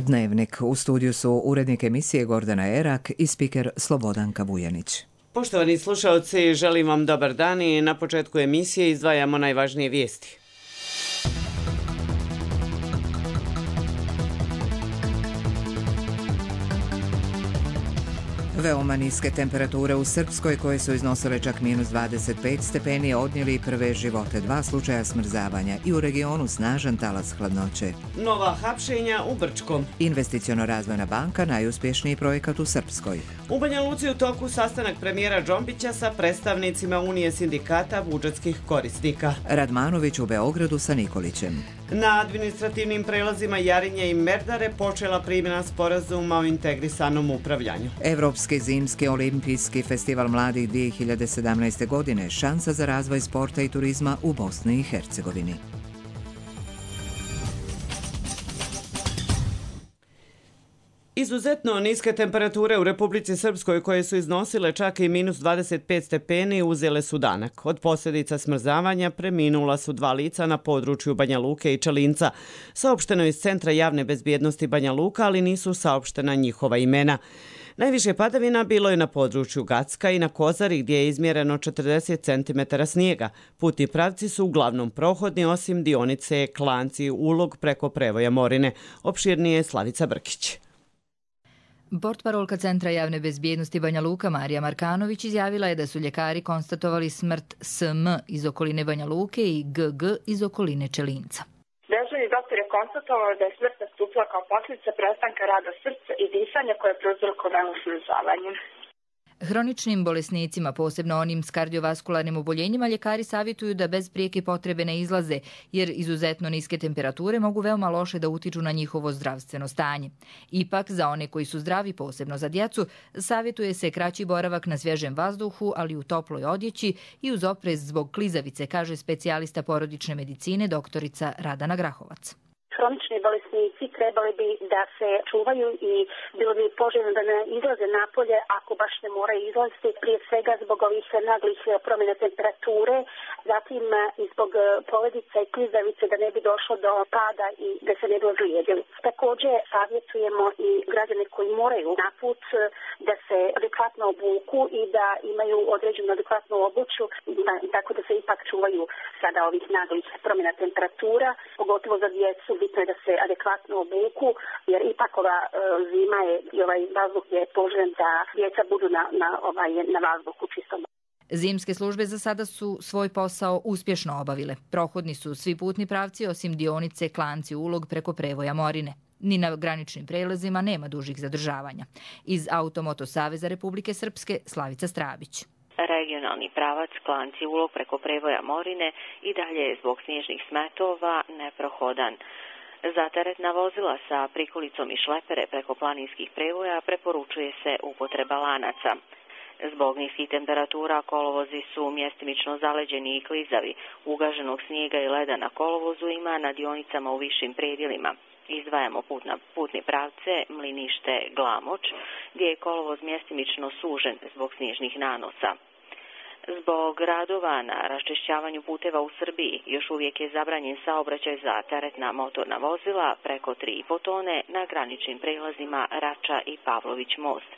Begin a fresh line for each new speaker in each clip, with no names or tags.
Dnevnik. U studiju su urednik emisije Gordana Erak i spiker Slobodanka Vujanić.
Poštovani slušalci, želim vam dobar dan i na početku emisije izdvajamo najvažnije vijesti.
Veoma niske temperature u Srpskoj, koje su iznosile čak minus 25 stepeni, odnijeli prve živote, 2 slučaja smrzavanja i u regionu snažan talas hladnoće.
Nova hapšenja u Brčkom.
Investiciono-razvojna banka, najuspješniji projekat u Srpskoj.
U Banja Luci u toku sastanak premijera Džombića sa predstavnicima Unije sindikata budžetskih korisnika.
Radmanović u Beogradu sa Nikolićem.
Na administrativnim prelazima Jarinje i Merdare počela primjena sporazuma o integrisanom upravljanju.
Evropski zimski olimpijski festival mladih 2017. godine, šansa za razvoj sporta i turizma u Bosni i Hercegovini.
Izuzetno niske temperature u Republici Srpskoj, koje su iznosile čak i minus 25 stepeni, uzele su danak. Od posljedica smrzavanja preminula su 2 lica na području Banja Luke i Čelinca. Saopšteno je iz Centra javne bezbjednosti Banja Luka, ali nisu saopštena njihova imena. Najviše padavina bilo je na području Gacka i na Kozari, gdje je izmjereno 40 cm snijega. Putni pravci su uglavnom prohodni, osim dionice Klanci Ulog preko Prevoja Morine. Opširnije Slavica Brkić.
Portparolka Centra javne bezbjednosti Banja Luka Marija Markanović izjavila je da su ljekari konstatovali smrt SM iz okoline Banja Luke i GG iz okoline Čelinca.
Dežurni doktor je konstatovao da je smrt nastupila kao posljedica prestanka rada srca i disanja koje je prouzrokovano smrzavanjem.
Hroničnim bolesnicima, posebno onim s kardiovaskularnim oboljenjima, ljekari savjetuju da bez prijeke potrebe ne izlaze, jer izuzetno niske temperature mogu veoma loše da utiču na njihovo zdravstveno stanje. Ipak, za one koji su zdravi, posebno za djecu, savjetuje se kraći boravak na svježem vazduhu, ali u toploj odjeći i uz oprez zbog klizavice, kaže specijalista porodične medicine doktorica Radana Grahovac.
Hronični bolesnici trebali bi da se čuvaju i bilo bi poželjno da ne izlaze napolje ako baš ne moraju izlaziti, prije svega zbog ovih naglih promjena temperature, zatim i zbog poledica i klizavice da ne bi došlo do pada i da se ne bi ozlijedili. Također savjetujemo i građane koji moraju na put da se adekvatno obuku i da imaju određenu adekvatnu obuću, tako da se ipak čuvaju sada ovih naglih promjena temperatura, pogotovo za djecu. Bitno je da se adekvatno obuku, jer ipak ova zima je i ovaj vazduh je poželjen da djeca budu na vazduhu čistom.
Zimske službe za sada su svoj posao uspješno obavile. Prohodni su svi putni pravci osim dionice Klanci Ulog preko Prevoja Morine. Ni na graničnim prelazima nema dužih zadržavanja. Iz Automoto Saveza Republike Srpske Slavica Strabić.
Regionalni pravac Klanci Ulog preko Prevoja Morine i dalje je zbog snježnih smetova neprohodan. Za teretna vozila sa prikolicom i šlepere preko planinskih prevoja preporučuje se upotreba lanaca. Zbog niskih temperatura kolovozi su mjestimično zaleđeni i klizavi. Ugaženog snijega i leda na kolovozu ima na dionicama u višim predjelima. Izdvajamo putni pravce Mlinište Glamoč, gdje je kolovoz mjestimično sužen zbog snježnih nanosa. Zbog radova na raščišćavanju puteva u Srbiji još uvijek je zabranjen saobraćaj za teretna motorna vozila preko 3,5 tone na graničnim prelazima Rača i Pavlović most.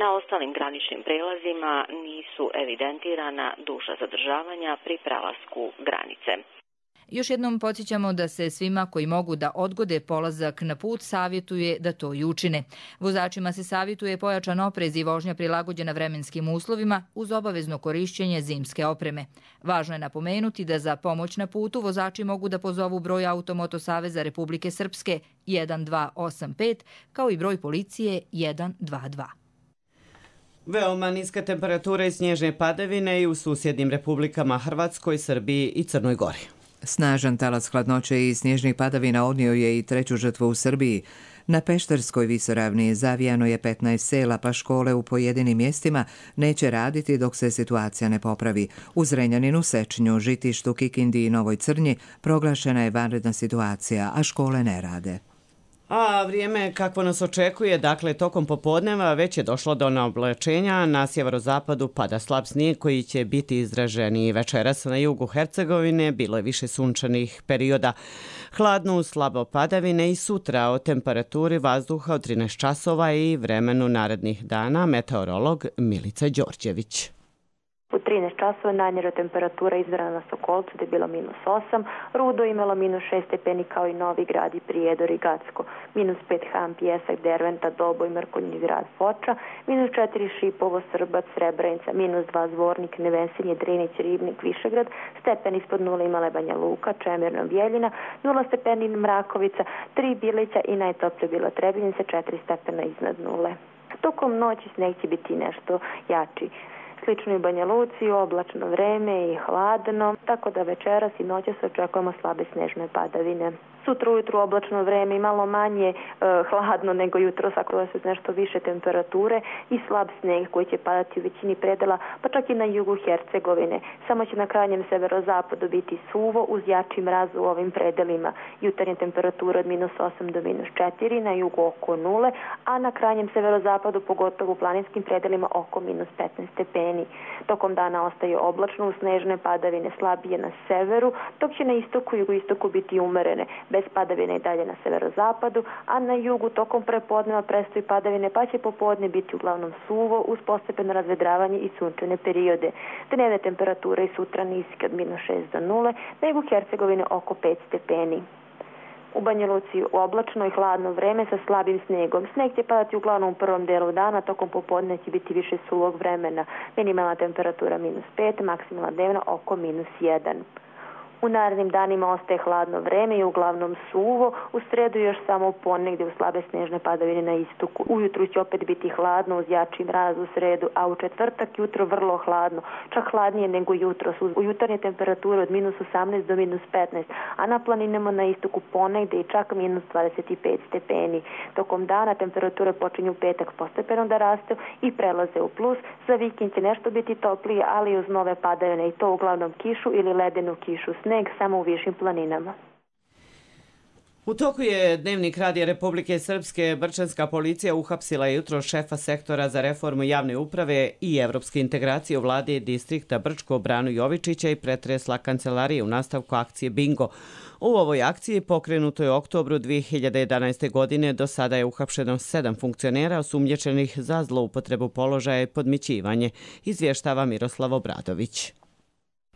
Na ostalim graničnim prelazima nisu evidentirana duža zadržavanja pri prelasku granice.
Još jednom podsjećamo da se svima koji mogu da odgode polazak na put savjetuje da to i učine. Vozačima se savjetuje pojačan oprez i vožnja prilagođena vremenskim uslovima uz obavezno korišćenje zimske opreme. Važno je napomenuti da za pomoć na putu vozači mogu da pozovu broj Automoto Saveza Republike Srpske 1285 kao i broj policije 122.
Veoma niska temperatura i snježne padavine i u susjednim republikama Hrvatskoj, Srbiji i Crnoj Gori.
Snažan talas hladnoće i snježnih padavina odnio je i 3. žrtvu u Srbiji. Na Pešterskoj visoravni zavijano je 15 sela, pa škole u pojedinim mjestima neće raditi dok se situacija ne popravi. U Zrenjaninu, Sečnju, Žitištu, Kikindi i Novoj Crnji proglašena je vanredna situacija, a škole ne rade.
A vrijeme kakvo nas očekuje, dakle tokom popodneva već je došlo do naoblačenja, na sjeverozapadu pada slab snijeg koji će biti izraženiji. Večeras na jugu Hercegovine bilo je više sunčanih perioda. Hladno, slabo padavine i sutra o temperaturi vazduha od 13 časova i vremenu narednih dana, meteorolog Milica Đorđević.
U 13 časova najniža temperatura izmjerena na Sokolcu da je bilo -8, Rudo imalo -6 stepeni kao i Novi Grad i Prijedor i Gacko, -5 Ham, Pjesak, Derventa, Doboj, Mrkonji grad Foča, -4 Šipovo, Srbac, Srebrenica, -2 Zvornik, Nevesinje, Drinić, Ribnik, Višegrad, stepen ispod 0 imala Banja Luka, Čemirno, Bjeljina, 0 stepeni Mrakovica, 3 Bilića i najtoplje bilo Trebinjice, 4 stepena iznad 0. Tokom noći sneg će biti nešto jači. Slično i u Banja Luci, oblačno vreme i hladno, tako da večeras i noćas očekujemo slabe snežne padavine. Sutra ujutru oblačno vreme i malo manje hladno nego jutros, ako su nešto više temperature i slab sneg koji će padati u većini predela, pa čak i na jugu Hercegovine. Samo će na krajnjem severozapadu biti suvo uz jači mraz u ovim predelima. Jutarnje temperature od -8 do -4, na jugu oko 0, a na krajnjem severozapadu, pogotovo u planinskim predelima, oko -15 stepeni. Tokom dana ostaje oblačno uz snežne padavine slabije na severu, dok će na istoku i jugoistoku biti umerene, bez padavine i dalje na severozapadu, a na jugu tokom prepodneva prestaju padavine, pa će popodne biti uglavnom suvo uz postepeno razvedravanje i sunčane periode. Dnevne temperature i sutra niske od -6 do 0, nego u Hercegovini oko 5 stepeni. U Banja Luci oblačno i hladno vreme sa slabim snegom. Sneg će padati uglavnom u prvom delu dana, tokom popodne će biti više suvog vremena. Minimalna temperatura -5, maksimalna dnevna oko -1. U narednim danima ostaje hladno vreme i uglavnom suvo, u sredu još samo ponegdje u slabe snežne padavine na istoku. Ujutru će opet biti hladno uz jači mraz u sredu, a u četvrtak jutro vrlo hladno, čak hladnije nego jutros, u jutarnje temperature od -18 do -15, a na planinama na istoku ponegdje i čak -25 stepeni. Tokom dana temperature počinju u petak postepeno da rastu i prelaze u plus, za vikend će nešto biti toplije, ali uz nove padavine i to uglavnom kišu ili ledenu kišu, sneg samo u višim planinama.
U toku je Dnevnik Radija Republike Srpske. Brčanska policija uhapsila jutro šefa sektora za reformu javne uprave i evropske integracije u vladi distrikta Brčko Branu Jovičića i pretresla kancelarije u nastavku akcije Bingo. U ovoj akciji pokrenuto je u oktobru 2011. godine. Do sada je uhapšeno 7 funkcionera osumnjičenih za zloupotrebu položaja i podmićivanje, izvještava Miroslav Obradović.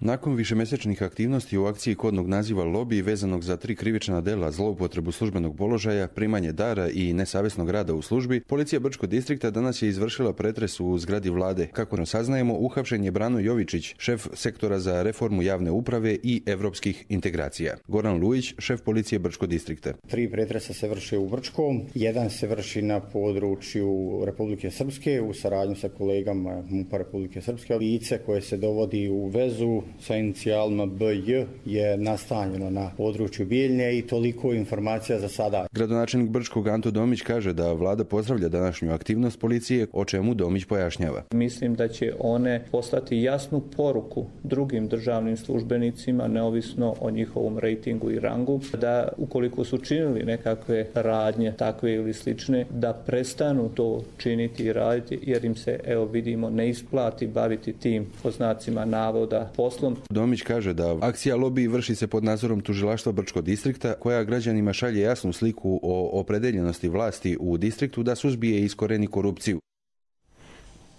Nakon višemesečnih aktivnosti u akciji kodnog naziva Lobby vezanog za 3 krivična dela, zloupotrebu službenog položaja, primanje dara i nesavjesnog rada u službi, policija Brčkog distrikta danas je izvršila pretres u zgradi vlade. Kako saznajemo, uhapšen je Brano Jovičić, šef sektora za reformu javne uprave i evropskih integracija. Goran Lujić, šef policije Brčkog distrikta.
3 pretresa se vrše u Brčkom, jedan se vrši na području Republike Srpske u saradnju sa kolegama MUP-a Republike Srpske. Lice koje se dovodi u vezu sa inicijalima BJ je nastanjeno na području Bijeljne i toliko informacija za sada.
Gradonačelnik Brčkog Anto Domić kaže da vlada pozdravlja današnju aktivnost policije, o čemu Domić pojašnjava.
Mislim da će one poslati jasnu poruku drugim državnim službenicima, neovisno o njihovom rejtingu i rangu, da ukoliko su činili nekakve radnje, takve ili slične, da prestanu to činiti i raditi, jer im se, evo vidimo, ne isplati baviti tim, po znacima navoda, poslom.
Domić kaže da akcija Lobby vrši se pod nadzorom tužilaštva Brčkog distrikta, koja građanima šalje jasnu sliku o opredeljenosti vlasti u distriktu da suzbije i iskoreni korupciju.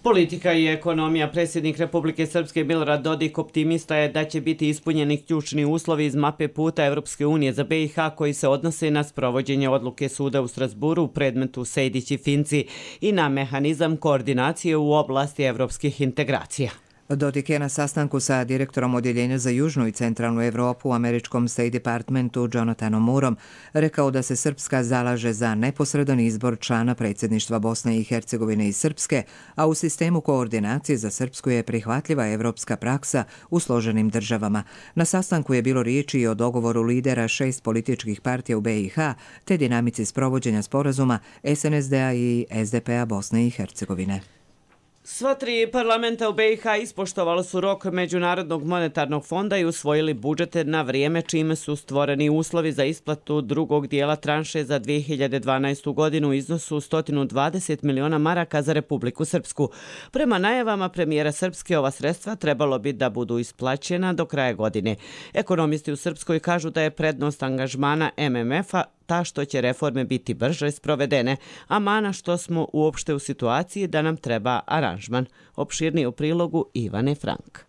Politika i ekonomija. Predsjednik Republike Srpske Milorad Dodik optimista je da će biti ispunjeni ključni uslovi iz mape puta Evropske unije za BiH koji se odnose na sprovođenje odluke suda u Strasburu u predmetu Sejdić i Finci i na mehanizam koordinacije u oblasti evropskih integracija.
Dodik je na sastanku sa direktorom Odjeljenja za Južnu i Centralnu Evropu u američkom State Departmentu Jonathanom Moorom rekao da se Srpska zalaže za neposredan izbor člana predsjedništva Bosne i Hercegovine i Srpske, a u sistemu koordinacije za Srpsku je prihvatljiva evropska praksa u složenim državama. Na sastanku je bilo riječi i o dogovoru lidera 6 političkih partija u BiH te dinamici sprovođenja sporazuma SNSD-a i SDP-a Bosne i Hercegovine.
Sva tri parlamenta u BiH ispoštovali su rok Međunarodnog monetarnog fonda i usvojili budžete na vrijeme, čime su stvoreni uslovi za isplatu drugog dijela tranše za 2012. godinu u iznosu 120 miliona maraka za Republiku Srpsku. Prema najavama premijera Srpske, ova sredstva trebalo bi da budu isplaćena do kraja godine. Ekonomisti u Srpskoj kažu da je prednost angažmana MMF-a ta što će reforme biti brže sprovedene, a mana što smo uopšte u situaciji da nam treba aranžman. Opširnije u prilogu Ivane Frank.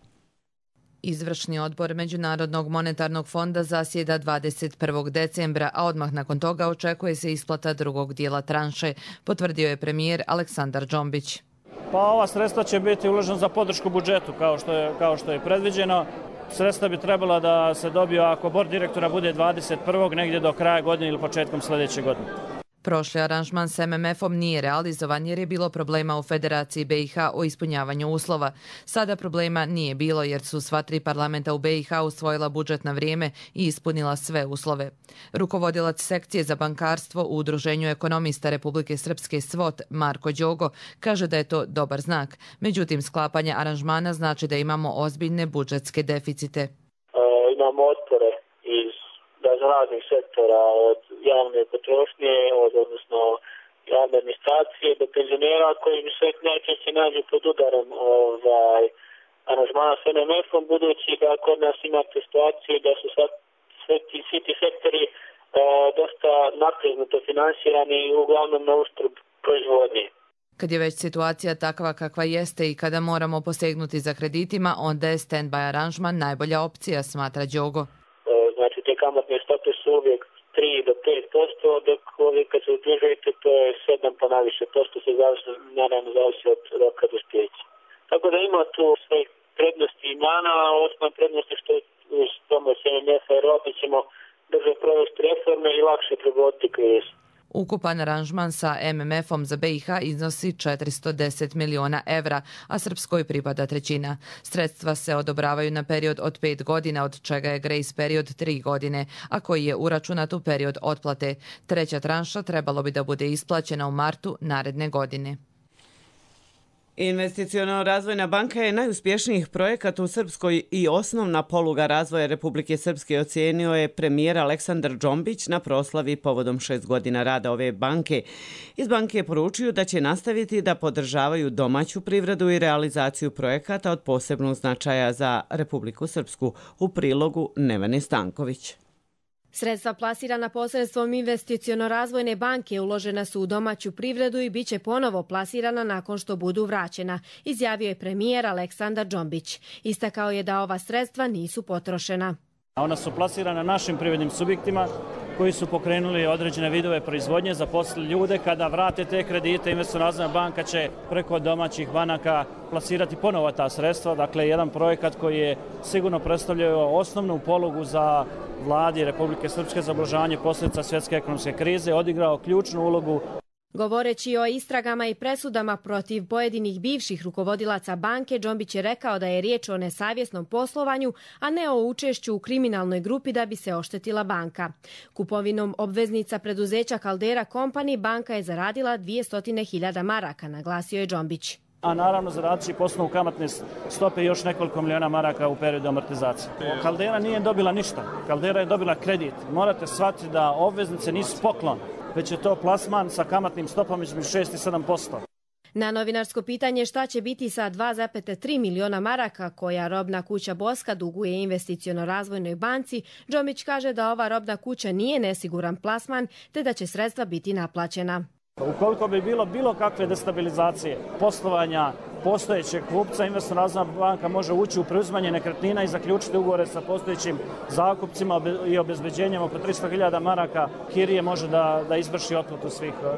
Izvršni odbor Međunarodnog monetarnog fonda zasjeda 21. decembra, a odmah nakon toga očekuje se isplata drugog dijela tranše, potvrdio je premijer Aleksandar Džombić.
Pa ova sredstva će biti uložena za podršku budžetu kao što je predviđeno. Sredstva bi trebala da se dobiju ako bord direktora bude 21. negdje do kraja godine ili početkom sljedeće godine.
Prošli aranžman s MMF-om nije realizovan jer je bilo problema u Federaciji BiH o ispunjavanju uslova. Sada problema nije bilo jer su sva tri parlamenta u BiH usvojila budžet na vrijeme i ispunila sve uslove. Rukovodilac sekcije za bankarstvo u Udruženju ekonomista Republike Srpske SVOT, Marko Đogo, kaže da je to dobar znak. Međutim, sklapanje aranžmana znači da imamo ozbiljne budžetske deficite.
Imamo otpore iz raznih sektora, od javne potrošnje, odnosno javne administracije do penzionera koji se najčešće nađu pod udarom aranžmana s MMF-om, budući da kod nas imate situaciju da su svi ti sektori dosta napregnuto finansirani i uglavnom na uštrb proizvodnje.
Kad je već situacija takva kakva jeste i kada moramo posegnuti za kreditima, onda je stand-by aranžman najbolja opcija, smatra Đogo.
Znači, te kamatne stope su uvijek 3 do 5%, dok ovdje kad se udružujete to je 7 pa naviše posto, se naravno zavisi od roka dospijeća. Tako da ima tu sve prednosti i mana, a osnovna prednost je što uz pomoć MMF-a i Europe ćemo brže provesti reforme i lakše prebroditi krizu.
Ukupan aranžman sa MMF-om za BiH iznosi 410 miliona evra, a Srpskoj pripada trećina. Sredstva se odobravaju na period od 5 godina, od čega je grace period 3 godine, a koji je uračunat u period otplate. Treća tranša trebalo bi da bude isplaćena u martu naredne godine.
Investiciono-razvojna banka je najuspješnijih projekata u Srpskoj i osnovna poluga razvoja Republike Srpske, ocijenio je premijer Aleksandar Džombić na proslavi povodom 6 godina rada ove banke. Iz banke je poručio da će nastaviti da podržavaju domaću privredu i realizaciju projekata od posebnog značaja za Republiku Srpsku. U prilogu Nevene Stanković.
Sredstva plasirana posredstvom investiciono-razvojne banke uložena su u domaću privredu i bit će ponovo plasirana nakon što budu vraćena, izjavio je premijer Aleksandar Džombić. Istakao je da ova sredstva nisu potrošena.
Ona su plasirana našim privrednim subjektima koji su pokrenuli određene vidove proizvodnje, zaposlili ljude. Kada vrate te kredite, investiciono-razvojna banka će preko domaćih banaka plasirati ponovo ta sredstva. Dakle, jedan projekat koji je sigurno predstavljao osnovnu polugu za vladi Republike Srpske za ublažavanje posljedica svjetske ekonomske krize, odigrao ključnu ulogu.
Govoreći o istragama i presudama protiv pojedinih bivših rukovodilaca banke, Džombić je rekao da je riječ o nesavjesnom poslovanju, a ne o učešću u kriminalnoj grupi da bi se oštetila banka. Kupovinom obveznica preduzeća Caldera Company banka je zaradila 200.000 maraka, naglasio je Džombić.
A naravno zaradit će poslovnu kamatne stope još nekoliko miliona maraka u periodu amortizacije. Caldera nije dobila ništa, Caldera je dobila kredit. Morate shvatiti da obveznice nisu poklon, već je to plasman sa kamatnim stopama između 6 i 7%.
Na novinarsko pitanje šta će biti sa 2,3 miliona maraka koja robna kuća Boska duguje investiciono-razvojnoj banci, Džombić kaže da ova robna kuća nije nesiguran plasman te da će sredstva biti naplaćena.
Ukoliko bi bilo kakve destabilizacije poslovanja postojećeg kupca, investiciono-razvojna banka može ući u preuzimanje nekretnina i zaključiti ugovore sa postojećim zakupcima i obezbeđenjem oko 300.000 maraka kirije može da izvrši otplatu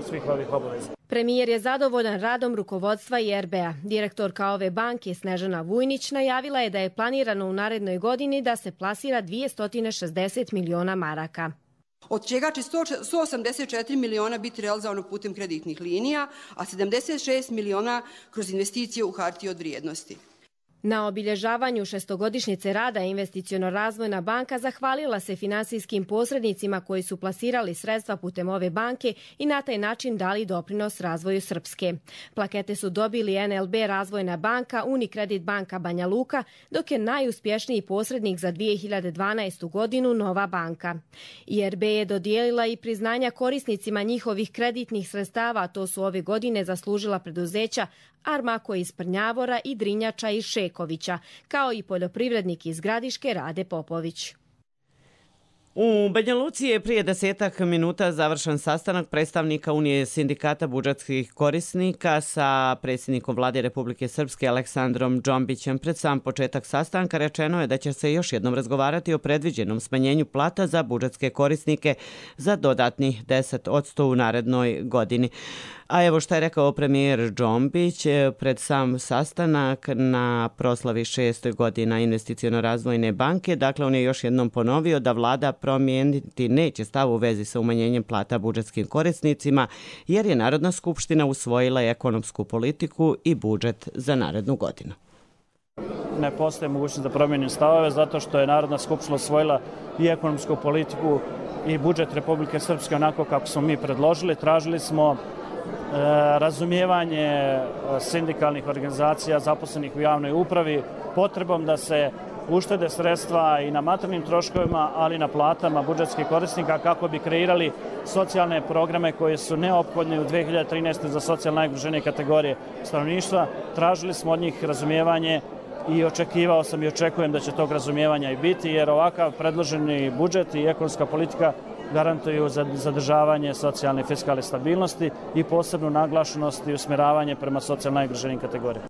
svih ovih obaveza.
Premijer je zadovoljan radom rukovodstva i RBA. Direktorka ove banke Snežana Vujnić najavila je da je planirano u narednoj godini da se plasira 260 miliona maraka.
Od čega će 184 miliona biti realizovano putem kreditnih linija, a 76 miliona kroz investicije u hartije od vrijednosti.
Na obilježavanju šestogodišnjice rada Investiciono-razvojna banka zahvalila se finansijskim posrednicima koji su plasirali sredstva putem ove banke i na taj način dali doprinos razvoju Srpske. Plakete su dobili NLB Razvojna banka, Unikredit banka Banja Luka, dok je najuspješniji posrednik za 2012. godinu Nova banka. IRB je dodijelila i priznanja korisnicima njihovih kreditnih sredstava, to su ove godine zaslužila preduzeća Armako iz Prnjavora i Drinjača iz Šekovića, kao i poljoprivrednik iz Gradiške Rade Popović.
U Banja Luci je prije 10 minuta završen sastanak predstavnika Unije sindikata budžetskih korisnika sa predsjednikom Vlade Republike Srpske Aleksandrom Džombićem. Pred sam početak sastanka rečeno je da će se još jednom razgovarati o predviđenom smanjenju plata za budžetske korisnike za dodatnih 10% u narednoj godini. A evo šta je rekao premijer Džombić pred sam sastanak na proslavi 6 godina Investiciono-razvojne banke. Dakle, on je još jednom ponovio da vlada promijeniti neće stav u vezi sa umanjenjem plata budžetskim korisnicima, jer je Narodna skupština usvojila ekonomsku politiku i budžet za narednu godinu.
Ne postoji mogućnost da promijenim stavove zato što je Narodna skupština usvojila i ekonomsku politiku i budžet Republike Srpske onako kako smo mi predložili. Tražili smo razumijevanje sindikalnih organizacija zaposlenih u javnoj upravi, potrebom da se uštede sredstva i na materijalnim troškovima, ali i na platama budžetskih korisnika kako bi kreirali socijalne programe koje su neophodne u 2013. za socijalno najugroženije kategorije stanovništva. Tražili smo od njih razumijevanje i očekivao sam i očekujem da će tog razumijevanja i biti, jer ovakav predloženi budžet i ekonomska politika garantuju zadržavanje socijalne i fiskalne stabilnosti i posebnu naglašenost i usmjeravanje prema socijalno najugroženijim kategorijama.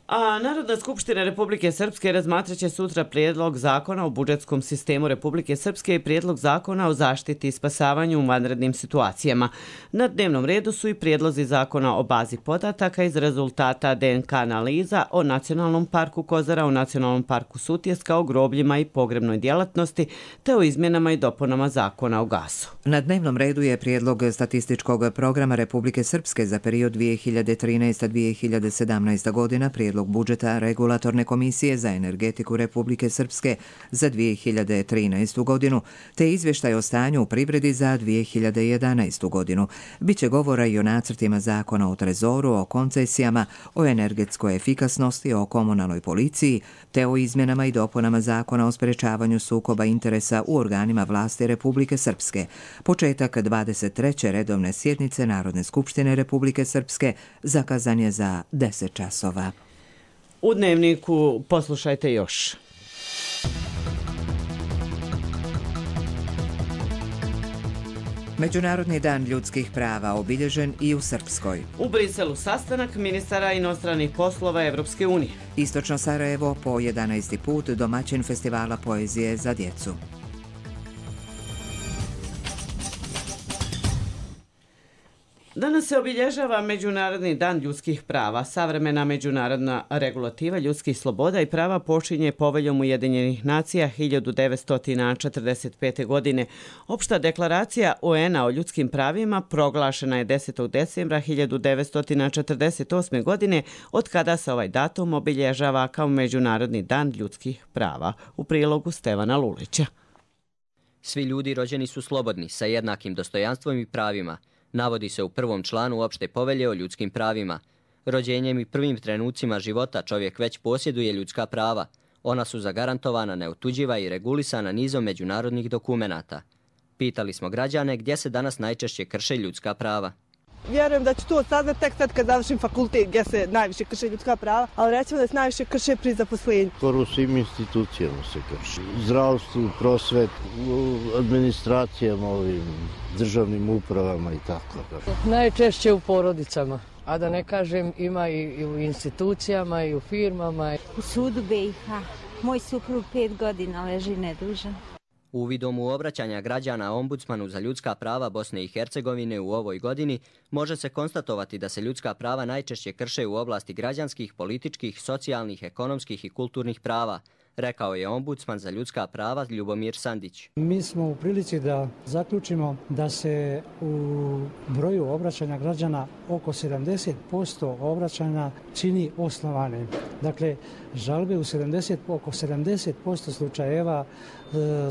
A Narodna skupština Republike Srpske razmatraće sutra prijedlog zakona o budžetskom sistemu Republike Srpske i prijedlog zakona o zaštiti i spasavanju u vanrednim situacijama. Na dnevnom redu su i prijedlozi zakona o bazi podataka iz rezultata DNK analiza o Nacionalnom parku Kozara, o Nacionalnom parku Sutjeska, o grobljima i pogrebnoj djelatnosti, te o izmjenama i dopunama zakona o gasu.
Na dnevnom redu je prijedlog statističkog programa Republike Srpske za period 2013-2017 godina, prijedlog budžeta Regulatorne komisije za energetiku Republike Srpske za 2013. godinu, te izvještaj o stanju u privredi za 2011. godinu. Biće govora i o nacrtima zakona o trezoru, o koncesijama, o energetskoj efikasnosti, o komunalnoj policiji, te o izmjenama i dopunama zakona o sprečavanju sukoba interesa u organima vlasti Republike Srpske. Početak 23. redovne sjednice Narodne skupštine Republike Srpske zakazan je za 10 časova.
U dnevniku poslušajte još.
Međunarodni dan ljudskih prava obilježen i u Srpskoj.
U Briselu sastanak ministara inostranih poslova Evropske unije.
Istočno Sarajevo po 11. put domaćin festivala poezije za djecu.
Danas se obilježava Međunarodni dan ljudskih prava. Savremena međunarodna regulativa ljudskih sloboda i prava počinje Poveljom Ujedinjenih nacija 1945. godine. Opšta deklaracija UN-a o ljudskim pravima proglašena je 10. decembra 1948. godine, od kada se ovaj datum obilježava kao Međunarodni dan ljudskih prava. U prilogu Stevana Lulića.
Svi ljudi rođeni su slobodni, sa jednakim dostojanstvom i pravima. Navodi se u prvom članu opšte povelje o ljudskim pravima. Rođenjem i prvim trenucima života čovjek već posjeduje ljudska prava. Ona su zagarantovana, neotuđiva i regulisana nizom međunarodnih dokumenata. Pitali smo građane gdje se danas najčešće krše ljudska prava.
Vjerujem da ću to saznati tek sad kad završim fakultet gdje se najviše krše ljudska prava, ali recimo da se najviše krše pri zaposlenju.
Skoro u svim institucijama se krši. Zdravstvu, prosvet, administracijama, ovim državnim upravama i tako.
Najčešće u porodicama, a da ne kažem ima i u institucijama i u firmama.
U sudu BiH. Moj suprug 5 godina leži nedužan.
Uvidom u obraćanja građana Ombudsmanu za ljudska prava Bosne i Hercegovine u ovoj godini može se konstatovati da se ljudska prava najčešće krše u oblasti građanskih, političkih, socijalnih, ekonomskih i kulturnih prava, rekao je ombudsman za ljudska prava Ljubomir Sandić.
Mi smo u prilici da zaključimo da se u broju obraćanja građana oko 70% obraćanja čini osnovanim. Dakle, žalbe oko 70% slučajeva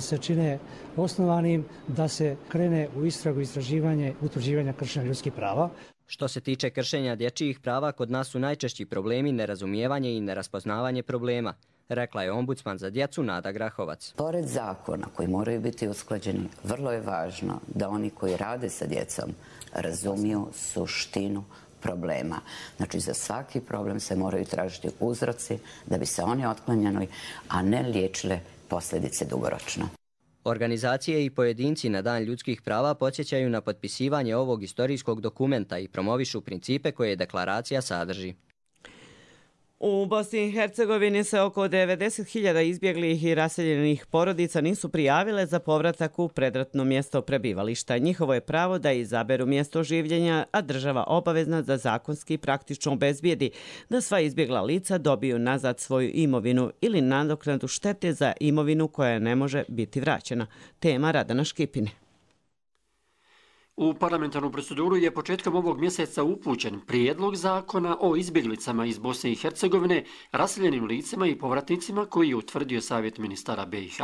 se čine osnovanim da se krene u istragu, istraživanje, utvrđivanja kršenja ljudskih prava.
Što se tiče kršenja dječjih prava, kod nas su najčešći problemi nerazumijevanje i neraspoznavanje problema, rekla je ombudsman za djecu Nada Grahovac.
Pored zakona koji moraju biti usklađeni, vrlo je važno da oni koji rade sa djecom razumiju suštinu problema. Znači, za svaki problem se moraju tražiti uzroci da bi se oni otklanjali, a ne liječile posljedice dugoročno.
Organizacije i pojedinci na Dan ljudskih prava podsjećaju na potpisivanje ovog istorijskog dokumenta i promovišu principe koje deklaracija sadrži.
U Bosni i Hercegovini se oko 90.000 izbjeglih i raseljenih porodica nisu prijavile za povratak u predratno mjesto prebivališta. Njihovo je pravo da izaberu mjesto življenja, a država obavezna da zakonski i praktično obezbijedi da sva izbjegla lica dobiju nazad svoju imovinu ili nadoknadu štete za imovinu koja ne može biti vraćena. Tema Radana Škipine.
U parlamentarnu proceduru je početkom ovog mjeseca upućen prijedlog zakona o izbjeglicama iz Bosne i Hercegovine, raseljenim licima i povratnicima koji je utvrdio Savjet ministara BiH.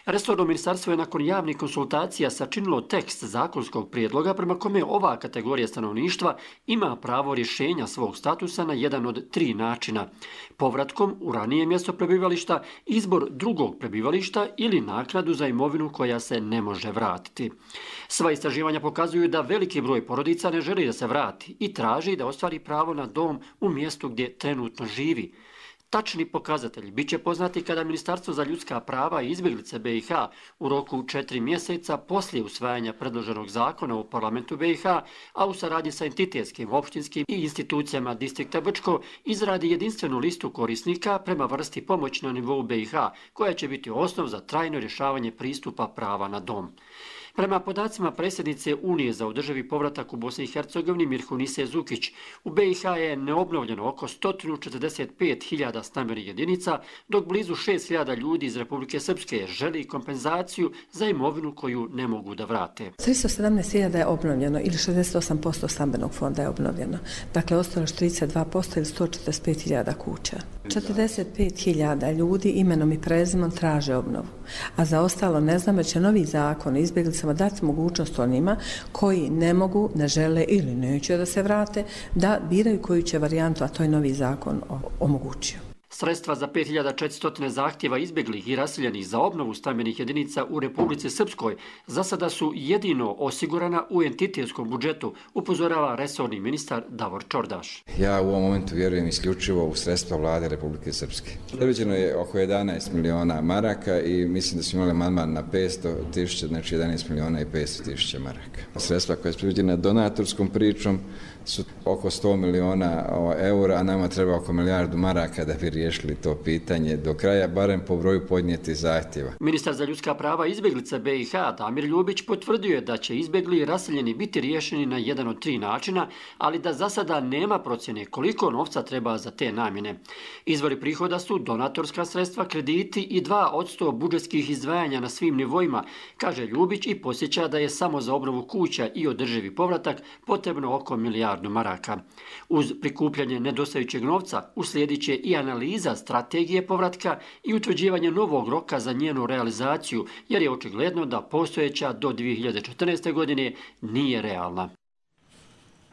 Resorno ministarstvo je nakon javnih konsultacija sačinilo tekst zakonskog prijedloga prema kome ova kategorija stanovništva ima pravo rješenja svog statusa na jedan od 3 načina. Povratkom u ranije mjesto prebivališta, izbor drugog prebivališta ili naknadu za imovinu koja se ne može vratiti. Sva istraživanja pokazuju da veliki broj porodica ne želi da se vrati i traži da ostvari pravo na dom u mjestu gdje trenutno živi. Tačni pokazatelji bit će poznati kada Ministarstvo za ljudska prava i izbjeglice BiH u roku 4 mjeseca poslije usvajanja predloženog zakona u parlamentu BiH, a u saradnji sa entitetskim, opštinskim i institucijama distrikta Brčko izradi jedinstvenu listu korisnika prema vrsti pomoći na nivou BiH, koja će biti osnov za trajno rješavanje pristupa prava na dom. Prema podacima predsjednice Unije za održivi povratak u Bosni i Hercegovini Mirhunise Zukić, u BiH je neobnovljeno oko 145.000 stambenih jedinica, dok blizu 6.000 ljudi iz Republike Srpske želi kompenzaciju za imovinu koju ne mogu da vrate.
317.000 je obnovljeno ili 68% stambenog fonda je obnovljeno. Dakle, ostalo je 32% ili 145.000 kuća. 45.000 ljudi imenom i prezimom traže obnovu, a za ostalo ne znam, jer će novi zakon o izbjeglicama dati mogućnost onima koji ne mogu, ne žele ili neće da se vrate, da biraju koju će varijantu, a to je novi zakon omogućio.
Sredstva za 5.400 zahtjeva izbjeglih i raseljenih za obnovu stambenih jedinica u Republici Srpskoj za sada su jedino osigurana u entitetskom budžetu, upozorava resorni ministar Davor Čordaš.
Ja u ovom momentu vjerujem isključivo u sredstva vlade Republike Srpske. Predviđeno je oko 11 miliona maraka i mislim da smo imali amandman na 500.000, znači 11 miliona i 500.000 maraka. Sredstva koja je predviđena donatorskom pričom su oko 100 miliona eura, a nama treba oko milijardu maraka da bi riješili to pitanje do kraja, barem po broju podnijetih zahtjeva.
Ministar za ljudska prava izbjeglica BiH Damir Ljubić potvrdio je da će izbjegli i raseljeni biti riješeni na jedan od 3 načina, ali da za sada nema procjene koliko novca treba za te namjene. Izvori prihoda su donatorska sredstva, krediti i 2% budžetskih izdvajanja na svim nivoima, kaže Ljubić i podsjeća da je samo za obnovu kuća i održivi povratak potrebno oko milijardu maraka. Uz prikupljanje nedostajućeg novca uslijedit će i analiza strategije povratka i utvrđivanje novog roka za njenu realizaciju, jer je očigledno da postojeća do 2014. godine nije realna.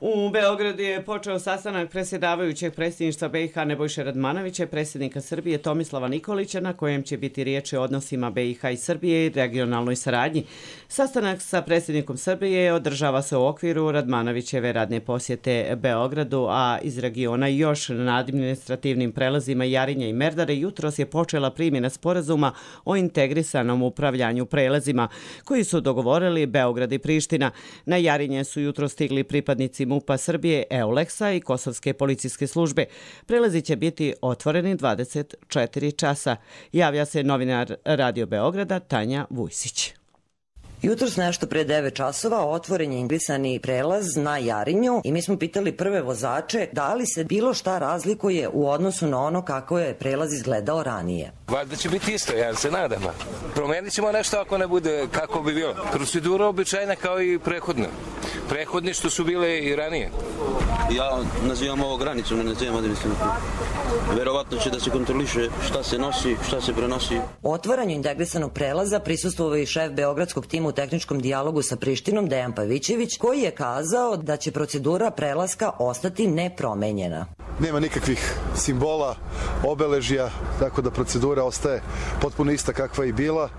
U Beogradu je počeo sastanak predsjedavajućeg predsjedništva BiH Nebojše Radmanovića i predsjednika Srbije Tomislava Nikolića, na kojem će biti riječ o odnosima BiH i Srbije i regionalnoj saradnji. Sastanak sa predsjednikom Srbije održava se u okviru Radmanovićeve radne posjete Beogradu, a iz regiona još na administrativnim prelazima Jarinja i Merdare jutros je počela primjena sporazuma o integrisanom upravljanju prelazima, koji su dogovorili Beograd i Priština. Na Jarinje su jutro stigli pripadnici MUP-a Srbije, EULEX-a i Kosovske policijske službe. Prelazi će biti otvoreni 24 časa. Javlja se novinar Radio Beograda Tanja Vujsić.
Jutros nešto pre 9 časova otvoren je inglisani prelaz na Jarinju i mi smo pitali prve vozače da li se bilo šta razlikuje u odnosu na ono kako je prelaz izgledao ranije.
Valjda će biti isto, ja se nadam. Promenit ćemo nešto ako ne bude kako bi bilo. Procedura običajna kao i prethodna. Prethodni što su bile i ranije.
Ja nazivam ovo granicu, ne nazivam administrativno. Verovatno će da se kontroliše šta se nosi, šta se prenosi.
Otvaranju integrisanog prelaza prisustvovao i šef beogradskog tima u tehničkom dijalogu sa Prištinom, Dejan Pavićević, koji je kazao da će procedura prelaska ostati nepromenjena.
Nema nikakvih simbola, obeležja, tako da procedura ostaje potpuno ista kakva je bila,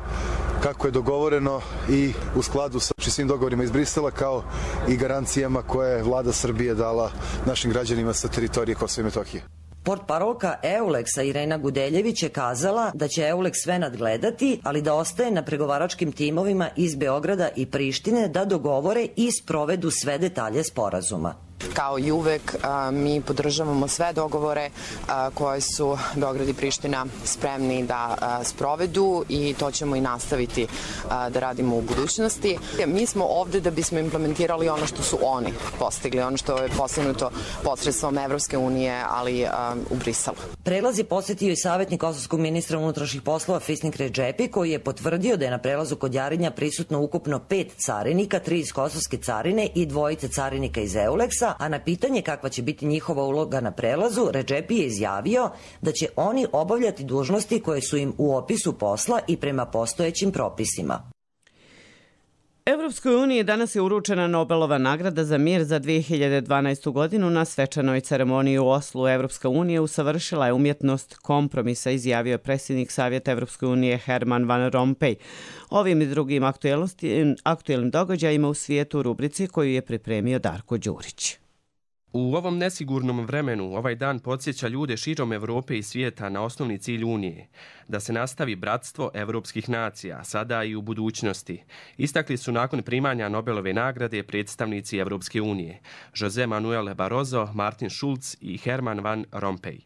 kako je dogovoreno i u skladu sa svim dogovorima iz Brisela, kao i garancijama koje je vlada Srbije dala našim građanima sa teritorije Kosova i Metohije.
Portparolka Euleksa Irena Gudeljević je kazala da će Euleks sve nadgledati, ali da ostaje na pregovaračkim timovima iz Beograda i Prištine da dogovore i sprovedu sve detalje sporazuma.
Kao i uvek, mi podržavamo sve dogovore koje su Beograd i Priština spremni da sprovedu i to ćemo i nastaviti da radimo u budućnosti. Mi smo ovde da bismo implementirali ono što su oni postigli, ono što je postignuto posredstvom Evropske unije, ali u Briselu.
Prelaz je posetio i savjetnik kosovskog ministra unutrašnjih poslova Fisnik Redžepi, koji je potvrdio da je na prelazu kod Jarinja prisutno ukupno 5 carinika, 3 iz kosovske carine i 2 carinika iz Euleksa, a na pitanje kakva će biti njihova uloga na prelazu, Redžepi je izjavio da će oni obavljati dužnosti koje su im u opisu posla i prema postojećim propisima.
Evropskoj uniji danas je uručena Nobelova nagrada za mir za 2012. godinu. Na svečanoj ceremoniji u Oslu Evropska unija usavršila je umjetnost kompromisa, izjavio je predsjednik Savjeta Evropske unije Herman Van Rompuy. Ovim i drugim aktuelnim događajima u svijetu u rubrici koju je pripremio Darko Đurić.
U ovom nesigurnom vremenu ovaj dan podsjeća ljude širom Evrope i svijeta na osnovni cilj Unije, da se nastavi bratstvo evropskih nacija, sada i u budućnosti. Istakli su nakon primanja Nobelove nagrade predstavnici Evropske unije, José Manuel Barroso, Martin Schulz i Herman Van Rompuy.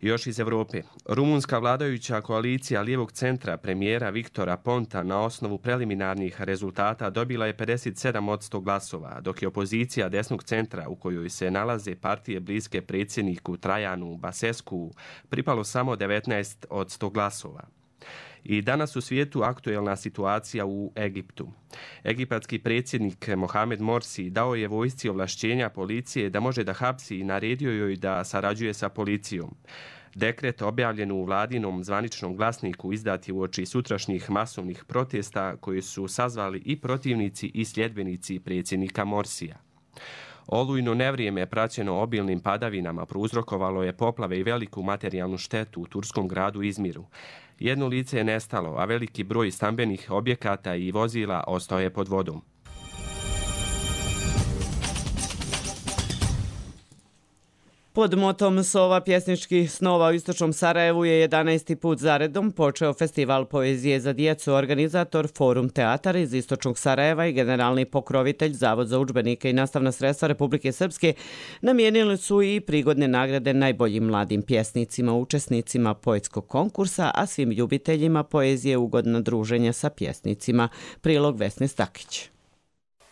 Još iz Evrope, rumunska vladajuća koalicija lijevog centra premijera Viktora Ponta na osnovu preliminarnih rezultata dobila je 57% glasova, dok je opozicija desnog centra, u kojoj se nalaze partije bliske predsjedniku Trajanu Basescu, pripalo samo 19% glasova. I danas u svijetu aktuelna situacija u Egiptu. Egipatski predsjednik Mohamed Morsi dao je vojsci ovlašćenja policije da može da hapsi i naredio joj da sarađuje sa policijom. Dekret objavljen u vladinom zvaničnom glasniku izdat je uoči sutrašnjih masovnih protesta koje su sazvali i protivnici i sljedbenici predsjednika Morsija. Olujno nevrijeme praćeno obilnim padavinama prouzrokovalo je poplave i veliku materijalnu štetu u turskom gradu Izmiru. Jedno lice je nestalo, a veliki broj stambenih objekata i vozila ostao je pod vodom.
Pod motom Sova pjesničkih snova u istočnom Sarajevu je 11. put zaredom počeo festival poezije za djecu, organizator Forum Teatar iz istočnog Sarajeva i generalni pokrovitelj Zavod za udžbenike i nastavna sredstva Republike Srpske namijenili su i prigodne nagrade najboljim mladim pjesnicima, učesnicima poetskog konkursa, a svim ljubiteljima poezije ugodna druženja sa pjesnicima. Prilog Vesne Stakić.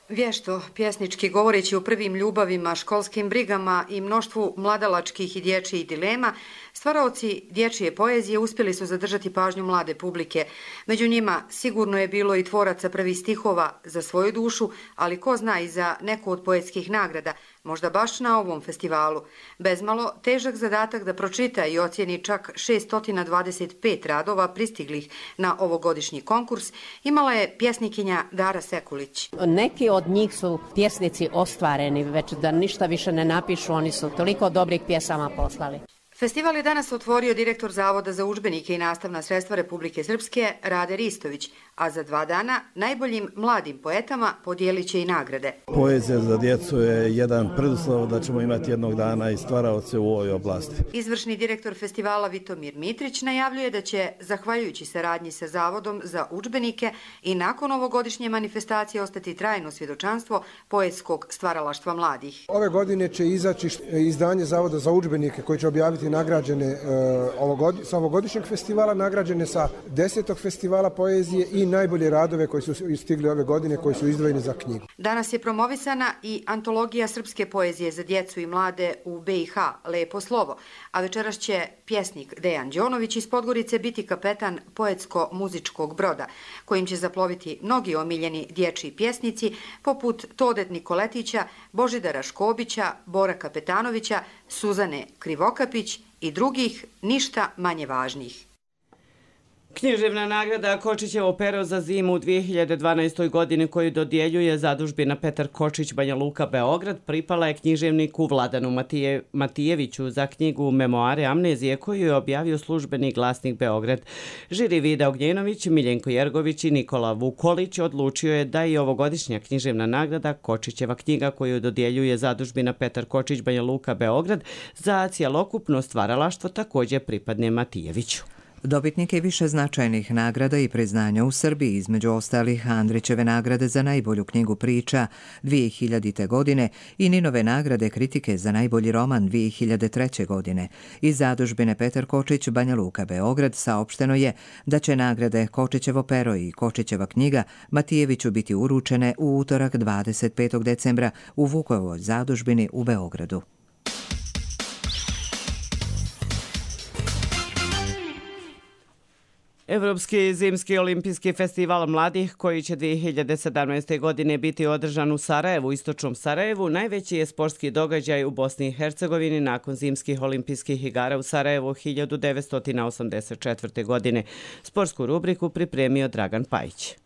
Vješto, pjesnički govoreći o prvim ljubavima, školskim brigama i mnoštvu mladalačkih i dječjih dilema, stvaraoci dječje poezije uspjeli su zadržati pažnju mlade publike. Među njima sigurno je bilo i tvoraca prvih stihova za svoju dušu, ali ko zna i za neku od poetskih nagrada, možda baš na ovom festivalu. Bezmalo težak zadatak da pročita i ocijeni čak 625 radova pristiglih na ovogodišnji konkurs imala je pjesnikinja Dara Sekulić.
Neki od njih su pjesnici ostvareni, već da ništa više ne napišu, oni su toliko dobrih pjesama poslali.
Festival je danas otvorio direktor Zavoda za udžbenike i nastavna sredstva Republike Srpske Rade Ristović, a za 2 dana najboljim mladim poetama podijelit će i nagrade.
Poezija za djecu je jedan preduslov da ćemo imati jednog dana i stvaraoce u ovoj oblasti.
Izvršni direktor festivala Vitomir Mitrić najavljuje da će, zahvaljujući saradnji sa Zavodom za udžbenike, i nakon ovogodišnje manifestacije ostati trajno svjedočanstvo poetskog stvaralaštva mladih.
Ove godine će izaći izdanje Zavoda za udžbenike koji će objaviti
biti nagrađene sa ovogodišnjeg festivala, nagrađene sa 10. festivala poezije i najbolje radove koji su stigli ove godine, koji su izdvojeni za knjigu.
Danas je promovisana i antologija srpske poezije za djecu i mlade u BiH, Lepo slovo, a večeras će pjesnik Dejan Đonović iz Podgorice biti kapetan poetsko-muzičkog broda, kojim će zaploviti mnogi omiljeni dječji pjesnici poput Tode Nikoletića, Božidara Škobića, Bora Kapetanovića, Suzane Krivokapić i drugih ništa manje važnih.
Književna nagrada Kočićevo pero za zimu u 2012. godini koju dodjeljuje zadužbina Petar Kočić Banja Luka Beograd pripala je književniku Vladanu Matijeviću za knjigu Memoare amnezije koju je objavio Službeni glasnik Beograd. Žiri Vida Ognjenović, Miljenko Jergović i Nikola Vukolić odlučio je da i ovogodišnja književna nagrada Kočićeva knjiga koju dodjeljuje zadužbina Petar Kočić Banja Luka Beograd za cjelokupno stvaralaštvo također pripadne Matijeviću.
Dobitnik je više značajnih nagrada i priznanja u Srbiji, između ostalih Andrićeve nagrade za najbolju knjigu priča 2000. godine i Ninove nagrade kritike za najbolji roman 2003. godine. Iz zadužbine Petar Kočić Banja Luka Beograd saopšteno je da će nagrade Kočićevo pero i Kočićeva knjiga Matijeviću biti uručene u utorak 25. decembra u Vukovoj zadužbini u Beogradu.
Evropski zimski olimpijski festival mladih koji će 2017. godine biti održan u Sarajevu, istočnom Sarajevu, najveći je sportski događaj u Bosni i Hercegovini nakon zimskih olimpijskih igara u Sarajevu 1984. godine. Sportsku rubriku pripremio Dragan Pajić.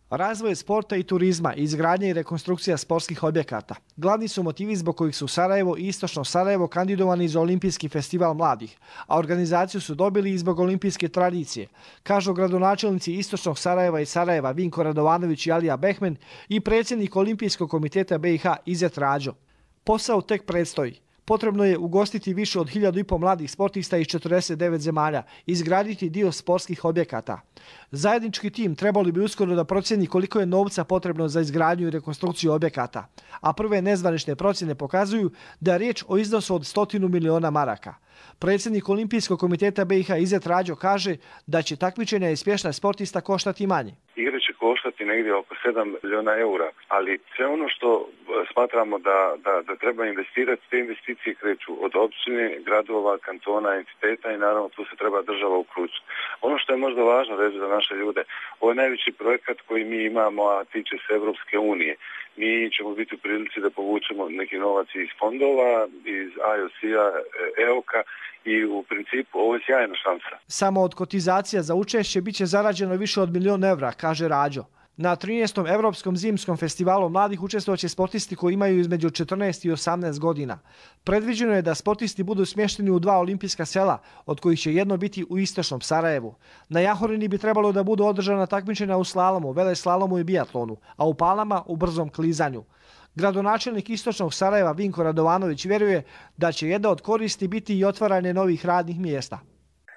Razvoj sporta i turizma, izgradnja i rekonstrukcija sportskih objekata. Glavni su motivi zbog kojih su Sarajevo i istočno Sarajevo kandidovani za Olimpijski festival mladih, a organizaciju su dobili i zbog olimpijske tradicije, kažu gradonačelnici istočnog Sarajeva i Sarajeva Vinko Radovanović i Alija Behmen i predsjednik Olimpijskog komiteta BiH Izet Rađo. Posao tek predstoji. Potrebno je ugostiti više od 1500 mladih sportista iz 49 zemalja i izgraditi dio sportskih objekata. Zajednički tim trebali bi uskoro da procjeni koliko je novca potrebno za izgradnju i rekonstrukciju objekata, a prve nezvanične procjene pokazuju da je riječ o iznosu od 100 miliona maraka. Predsjednik Olimpijskog komiteta BiH Izet Rađo kaže da će takmičenja i spješna sportista koštati manje.
Igre će koštati negdje oko 7 miliona eura, ali sve ono što smatramo da treba investirati, te investicije kreću od općine, gradova, kantona, entiteta i naravno tu se treba država uključiti. Ono što je možda važno reći za naše ljude, ovo je najveći projekat koji mi imamo, a tiče se Evropske unije. Mi ćemo biti u prilici da povučemo neki novac iz fondova, iz IOC-a, EOK-a i u principu ovo je sjajna šansa.
Samo od kotizacija za učešće bit će zarađeno više od 1 milion evra, kaže Rađo. Na 13. Evropskom zimskom festivalu mladih učestvovaće sportisti koji imaju između 14 i 18 godina. Predviđeno je da sportisti budu smješteni u 2 olimpijska sela, od kojih će jedno biti u istočnom Sarajevu. Na Jahorini bi trebalo da budu održana takmičenja u slalomu, veleslalomu i biatlonu, a u Palama u brzom klizanju. Gradonačelnik istočnog Sarajeva Vinko Radovanović vjeruje da će jedna od koristi biti i otvaranje novih radnih mjesta.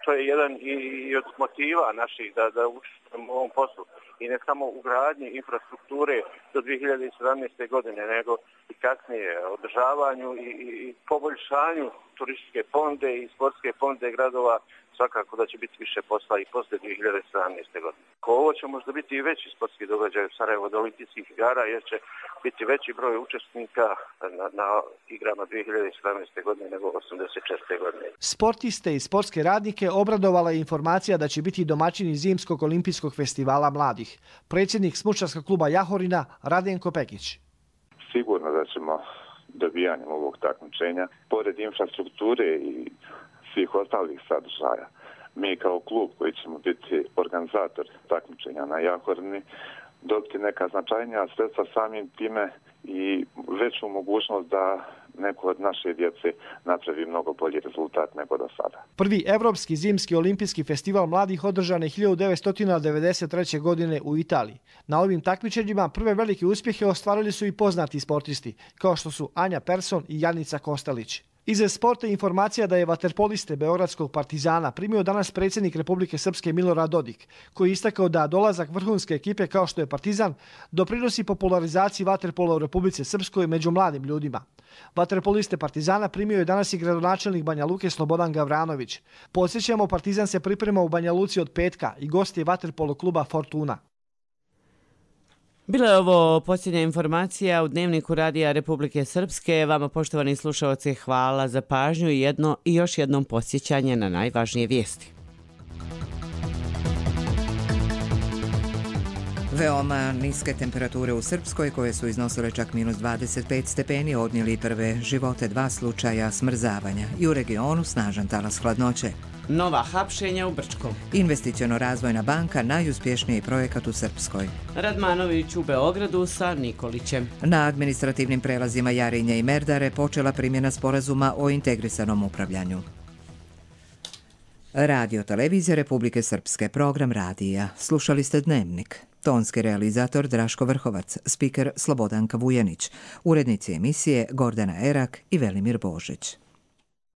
To je jedan i od motiva naših da učestvujemo u ovom poslu. I ne samo u gradnji infrastrukture do 2017. godine, nego i kasnije održavanju i poboljšanju turističke ponude i sportske ponude gradova. Svakako da će biti više posla i posle 2017. godine. Ovo će možda biti i veći sportski događaj u Sarajevu od olimpijskih igara, jer će biti veći broj učesnika na igrama 2017. godine nego 1984. godine.
Sportiste i sportske radnike obradovala je informacija da će biti domaćini Zimskog olimpijskog festivala mladih. Predsjednik smučarskog kluba Jahorina Radenko Pekić.
Sigurno da ćemo dobijanjem ovog takmičenja, pored infrastrukture i svih ostalih sadržaja, mi kao klub koji ćemo biti organizator takmičenja na Jahorini dobiti neka značajnija sredstva, samim time i veću mogućnost da neko od naše djece napravi mnogo bolji rezultat nego do sada.
Prvi Evropski zimski olimpijski festival mladih održan je 1993. godine u Italiji. Na ovim takmičenjima prve velike uspjehe ostvarili su i poznati sportisti, kao što su Anja Persson i Janica Kostelić. Iz sporta informacija da je vaterpoliste Beogradskog Partizana primio danas predsjednik Republike Srpske Milorad Dodik, koji je istakao da dolazak vrhunske ekipe kao što je Partizan doprinosi popularizaciji vaterpola u Republici Srpskoj među mladim ljudima. Vaterpoliste Partizana primio je danas i gradonačelnik Banja Luke Slobodan Gavranović. Podsjećamo, Partizan se priprema u Banja Luci od petka i gost je vaterpolo kluba Fortuna.
Bila je ovo posljednja informacija u Dnevniku Radija Republike Srpske. Vama, poštovani slušalci, hvala za pažnju i još jednom podsjećanje na najvažnije vijesti.
Veoma niske temperature u Srpskoj, koje su iznosile čak minus 25 stepeni, odnijeli prve živote 2 slučaja smrzavanja i u regionu snažan talas hladnoće.
Nova hapšenja u Brčkom.
Investiciono-razvojna banka najuspješniji projekat u Srpskoj.
Radmanović u Beogradu sa Nikolićem.
Na administrativnim prelazima Jarinje i Merdare počela primjena sporazuma o integrisanom upravljanju. Radio televizija Republike Srpske, program radija. Slušali ste Dnevnik. Tonski realizator Draško Vrhovac, spiker Slobodanka Vujanić, urednici emisije Gordana Erak i Velimir Božić.